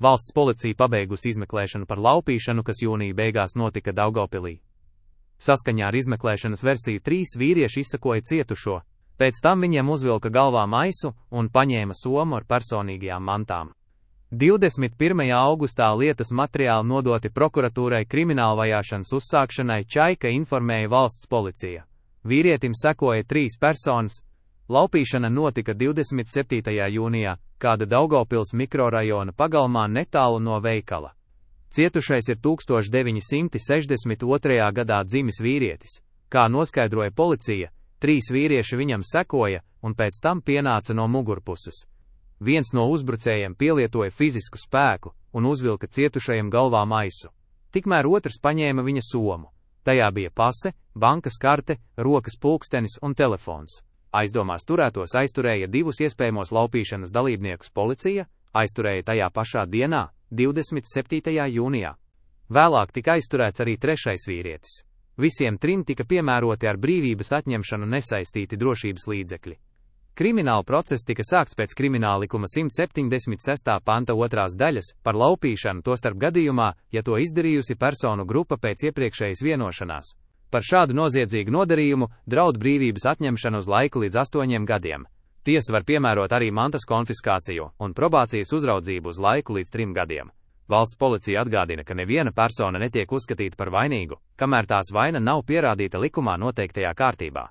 Valsts policija pabeigusi izmeklēšanu par laupīšanu, kas jūnija beigās notika Daugavpilī. Saskaņā ar izmeklēšanas versiju 3 vīrieši izsakoja cietušo, pēc tam viņiem uzvilka galvā maisu un paņēma somu ar personīgajām mantām. 21. augustā lietas materiāli nodoti prokuratūrai kriminālvajāšanas uzsākšanai, Čaika informēja valsts policija. Vīrietim sekoja 3 personas. Laupīšana notika 27. jūnijā, kāda Daugavpils mikrorajona pagalmā netālu no veikala. Cietušais ir 1962. gadā dzimis vīrietis. Kā noskaidroja policija, 3 vīrieši viņam sekoja un pēc tam pienāca no mugurpuses. Viens no uzbrucējiem pielietoja fizisku spēku un uzvilka cietušajam galvā maisu. Tikmēr otrs paņēma viņa somu. Tajā bija pase, bankas karte, rokas pulkstenis un telefons. Aizdomās turētos aizturēja 2 iespējamos laupīšanas dalībniekus policija, aizturēja tajā pašā dienā, 27. jūnijā. Vēlāk tika aizturēts arī 3. vīrietis. Visiem 3 tika piemēroti ar brīvības atņemšanu nesaistīti drošības līdzekļi. Krimināla process tika sākts pēc Krimināla likuma 176. panta 2. daļas par laupīšanu, tostarp gadījumā, ja to izdarījusi personu grupa pēc iepriekšējas vienošanās. Par šādu noziedzīgu nodarījumu draud brīvības atņemšana uz laiku līdz 8 gadiem. Tiesa var piemērot arī mantas konfiskāciju un probācijas uzraudzību uz laiku līdz 3 gadiem. Valsts policija atgādina, ka neviena persona netiek uzskatīta par vainīgu, kamēr tās vaina nav pierādīta likumā noteiktajā kārtībā.